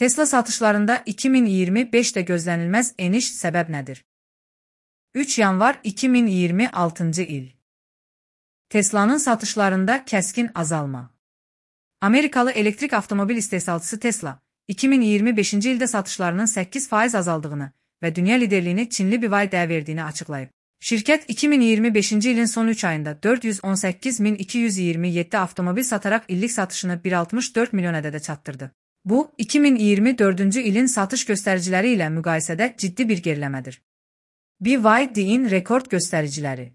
Tesla satışlarında 2025'də gözlənilməz eniş səbəb nədir? 3 yanvar 2026-cı il. Teslanın satışlarında kəskin azalma. Amerikalı elektrik avtomobil istehsalçısı Tesla, 2025-ci ildə satışlarının 8% azaldığını və dünya liderliyini Çinli BYD'yə verdiyini açıqlayıb. Şirkət 2025-ci ilin son 3 ayında 418.227 avtomobil sataraq illik satışını 1,64 milyon ədədə çatdırdı. Bu, 2024-cü ilin satış göstəriciləri ilə müqayisədə ciddi bir geriləmədir. BYD'in rekord göstəriciləri.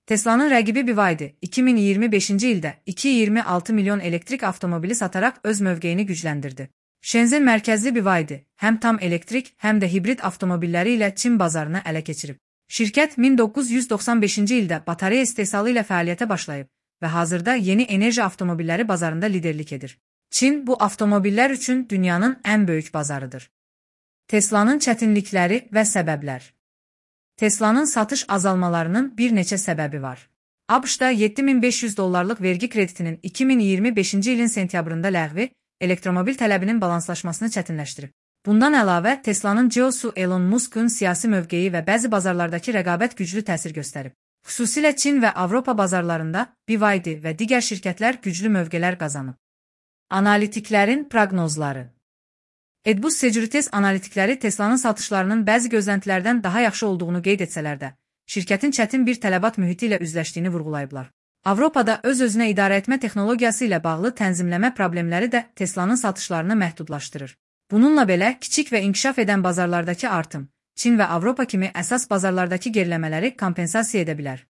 Teslanın rəqibi BYD, 2025-ci ildə 2,26 milyon elektrik avtomobili sataraq öz mövqeyini gücləndirdi. Shenzhen mərkəzli BYD, həm tam elektrik, həm də hibrid avtomobilləri ilə Çin bazarını ələ keçirib. Şirkət 1995-ci ildə batareya istehsalı ilə fəaliyyətə başlayıb və hazırda yeni enerji avtomobilləri bazarında liderlik edir. Çin bu avtomobillər üçün dünyanın ən böyük bazarıdır. Teslanın çətinlikləri və səbəblər. Teslanın satış azalmalarının bir neçə səbəbi var. ABŞ-da $7.500 vergi kreditinin 2025-ci ilin sentyabrında ləğvi elektromobil tələbinin balanslaşmasını çətinləşdirib. Bundan əlavə, Teslanın CEO-su Elon Musk'un siyasi mövqeyi və bəzi bazarlardakı rəqabət güclü təsir göstərib. Xüsusilə Çin və Avropa bazarlarında BYD və digər şirkətlər güclü mövqelər qazanıb. Analitiklərin proqnozları. Edbus Securities analitikləri Teslanın satışlarının bəzi gözləntilərdən daha yaxşı olduğunu qeyd etsələr də, şirkətin çətin bir tələbat mühiti ilə üzləşdiyini vurğulayıblar. Avropada öz-özünə idarə etmə texnologiyası ilə bağlı tənzimləmə problemləri də Teslanın satışlarını məhdudlaşdırır. Bununla belə, kiçik və inkişaf edən bazarlardakı artım, Çin və Avropa kimi əsas bazarlardakı geriləmələri kompensasiya edə bilər.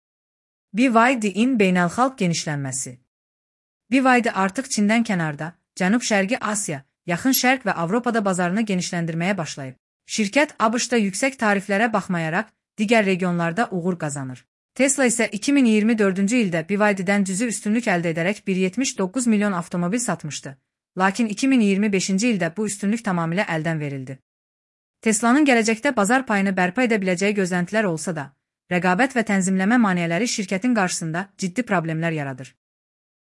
BYD'in beynəlxalq genişlənməsi. BYD artıq Çindən kənarda, Cənub-Şərqi Asiya, Yaxın Şərq və Avropada bazarını genişləndirməyə başlayıb. Şirkət ABŞ-da yüksək tariflərə baxmayaraq, digər regionlarda uğur qazanır. Tesla isə 2024-cü ildə BYD'dən cüzi üstünlük əldə edərək 1,79 milyon avtomobil satmışdı. Lakin 2025-ci ildə bu üstünlük tamamilə əldən verildi. Teslanın gələcəkdə bazar payını bərpa edə biləcəyi gözləntilər olsa da, rəqabət və tənzimləmə maneələri şirkətin qarşısında ciddi problemlər yaradır.